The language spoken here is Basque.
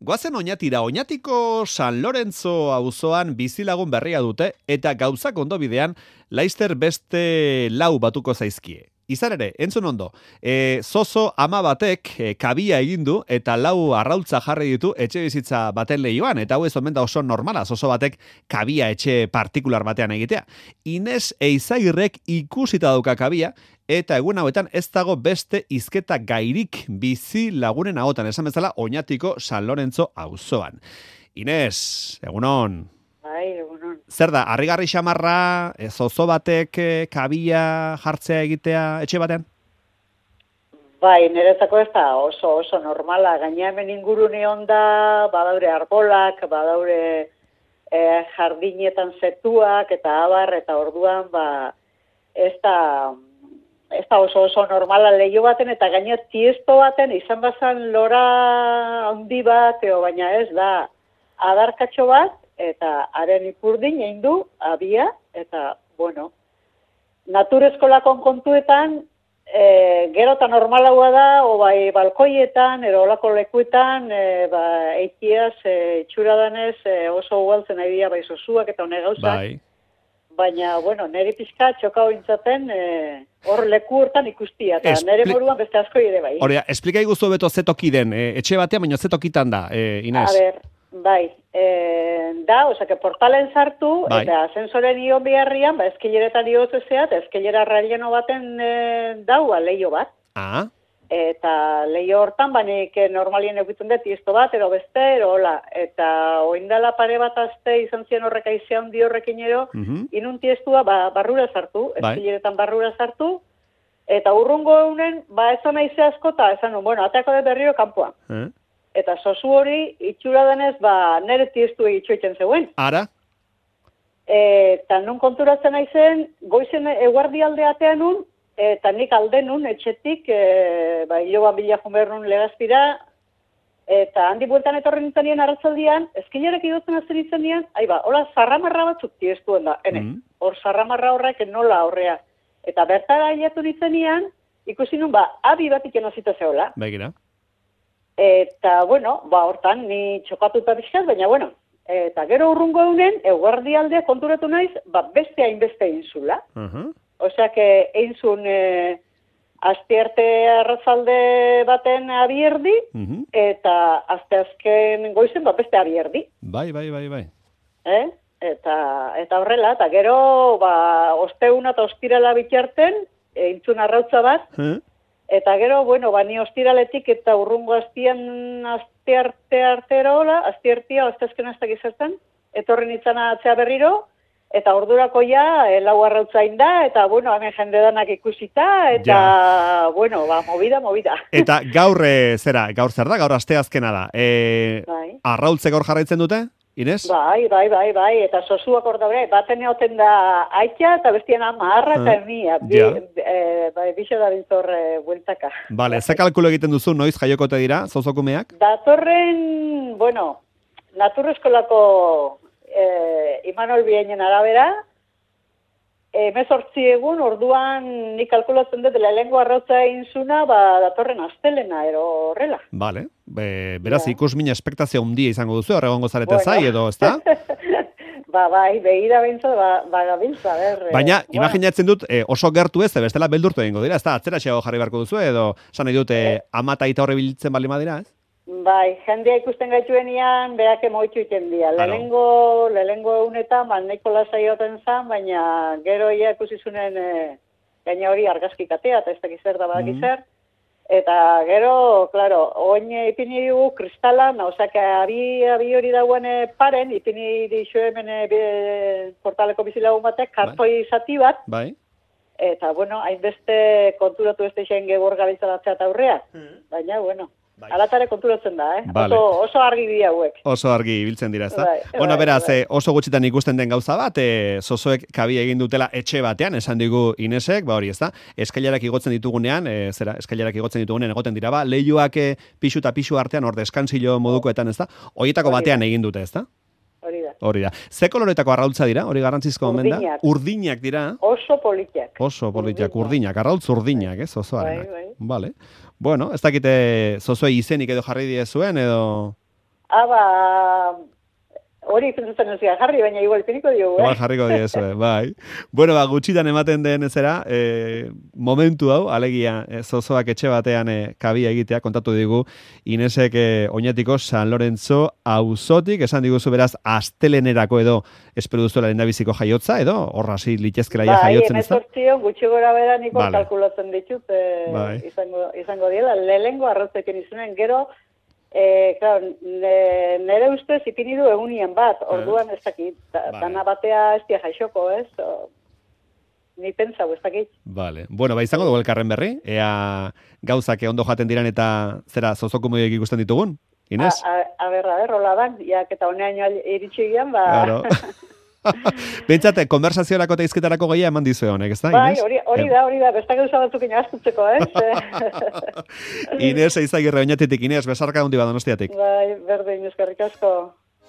Goazen Oñatira, Oñatiko San Lorenzo auzoan bizilagun berria dute eta gauzak ondo bidean Laister beste lau batuko zaizkie. Izan ere, entzun ondo, zozo ama batek kabia egin du eta lau arraultza jarri ditu etxe bizitza baten lehioan, eta hau ez omen da oso normala, zozo batek kabia etxe partikular batean egitea. Ines Eizagirrek ikusita dauka kabia, eta egun hauetan ez dago beste hizketa gairik bizi lagunen ahotan, esan bezala Oñatiko San Lorenzo auzoan. Ines, egunon. Bai, egunon. Zer da, harrigarri xamarra, zozo batek kabia jartzea egitea etxe batean? Bai, niretzako ez da oso normala. Gaina hemen ingurune onda, badaure arbolak, badaure jardinetan zetuak eta abar, eta orduan ez da oso normala leio baten, eta gaina tiesto baten izan bazan lora handi bat, baina ez da adarkatxo bat, eta haren ipurdin egin du, abia, eta, bueno, naturezkolakon kontuetan, gero eta normalagoa da, o bai balkoietan, edo olako lekuetan, eikiaz, itxura danez, oso ugaltzen nahi dira, bai zozuak eta hone gauzak. Bai. Baina, bueno, neri pixka txoka hointzaten, hor leku hortan ikustia, eta nere moruan beste asko ere bai. Horea, esplika iguzu beto zetoki den, etxe batean, baina zetokitan da, Inez? A ber, bai, osake portalen sartu, bai. Eta asensoren ion biharrian, eskileretan iotezea, eta eskilera relleno baten daua leio bat. Ah. Eta leio hortan, banik normalien egiten dut tiesto bat, ero beste, ero hola. Eta oindala pare bat azte izan ziren horrek aizea hundi horrekin ero, inun tiestua barrura sartu, eskileretan barrura sartu, eta urrungo eunen, esan aizea asko, eta esan nun, bueno, ateako de berriro kanpoan. Eta zozu hori, itxura denez, nere tiestu egitxoiten zeuen. Ara? Eta nun konturatzen aizen, goizen eguardi aldeatean nun, eta nik alde nun, etxetik, hiloban bila jumer nun legazpira, eta handi bueltan etorri nintzen nien arratzaldian, eskilerak idotzen azten nintzen nien, hola zarramarra batzuk tiestuen da, hor zarramarra horrek nola horrea. Eta bertara ailetu nintzen nien, ikusi nun, abi bat ikena zita zehola. Begira. Eta, bueno, hortan, ni txokatuta pixkat, baina, bueno, eta gero urrungo eunen, eguardi aldea konturatu naiz, beste hainbeste egin zula. Osea, egin zuen astearte arrazalde baten abierdi, eta azken goizen beste abierdi. Bai. Eta horrela, eta gero, osteuna eta ostirala bitarten, egin zuen arrautza bat, eta gero, bueno, ni ostiraletik eta urrungo astearte artero hola, asteartia, ostezken aztak izertan, etorri nintzen atzea berriro, eta ordurako lau arrautzain da, eta, bueno, hemen jende danak ikusita, eta, bueno, movida. Eta gaur zer da, gaur asteazkena da. Arrautze gaur jarraitzen dute, Inez? Bai, eta zozuak hor daure, baten egoten da aitza, eta bestian amarra eta ernia, bixe da bintzor bueltaka. Bale, ze kalkulo egiten duzu, noiz jaiokote dira, zozokumeak? Datorren, bueno, naturrezkolako Imanol Biainen arabera, 18 egun, orduan nik kalkulatzen dut lehengo arrautza egin zuna, datorren astelena, ero horrela. Bale, beraz ikusmina espektazio handia izango duzu, horregongo zarete zai, edo, ez da? Bai, begira bintza, gabiltza, Baina, imaginatzen dut, oso gertu ez, bestela beldurtu egingo dira, ez da, atzera xeago jarri beharko duzu, edo, esan nahi dute, ama eta ita horre biltzen bali madira, ez? Bai, jendea ikusten gaituenian, berak emoitu iten dira. Lehenengo egunetan, nahiko lasai goten zan, baina gero ia ikusizunen gaina hori argazki katea, eta ez dakizer da badakizer. Eta gero, klaro, oin ipini dugu kristalan, osea, abi hori dagoen paren, ipini dixo hemen portaleko bizilagun batek, kartoi zati bat. Bai. Eta, bueno, hainbeste konturatu ez deixen gebor gabiltzalatzea eta aurrea. Baina, bueno. Alatare konturatzen da, Vale. Oso argi bi hauek. Oso argi ibiltzen dira, ez da? Bueno, beraz, oso gutxitan ikusten den gauza bat, zozoek kabia egin dutela etxe batean, esan digu Inesek, hori, ez da? Eskailarak igotzen ditugunean, egoten dira, lehioak pixu eta pixu artean, hor deskantzilo modukoetan, ez da? Horietako batean egin dute, ez da? Hori da. Ze koloretako arraultza dira, hori garrantzizko omen da? Urdinak dira. Oso politiak. Urdinak, arraultz urdinak, ez? Zozoarenak. Vale. Bueno, ez dakite zozoei izenik edo jarri diezuen, edo... Hori pentsatzen ez jarri, baina igual piniko diogu, Igual jarriko diezu, bai. Bueno, gutxitan ematen den zera, momentu hau, alegia, zozoak etxe batean kabia egitea, kontatu digu, Inesek Oñatiko San Lorenzo auzotik, esan diguzu beraz, astelenerako edo espero duzuela lehendabiziko jaiotza, edo horra hasi litezkela ja jaiotzen ez da? Bai, gutxi gora bera niko kalkulatzen ditut, bai. izango diela, lehengo arrozekin izunen, gero, claro, nere ustez ipini du egunien bat, orduan ez dakit, dana batea ez dia jaixoko, ez? Ni pentsau, ez dakit. Vale. Bueno, izango dugu elkarren berri, ea gauzak ondo jaten diran eta zera zozoko moduek ikusten ditugun, Ines? A ber, hola dan, jak eta honean iritsi gian, Claro. Bentsate, konversaziorako eta izketarako gehiago eman dizu honek, ez da, Bai, Ines? hori da, bestak gauza batzuk inaztutzeko, Ines, Eizagirre Oñatitik, Ines, besarka hundi Donostiatik. Bai, berdin, eskerrik asko.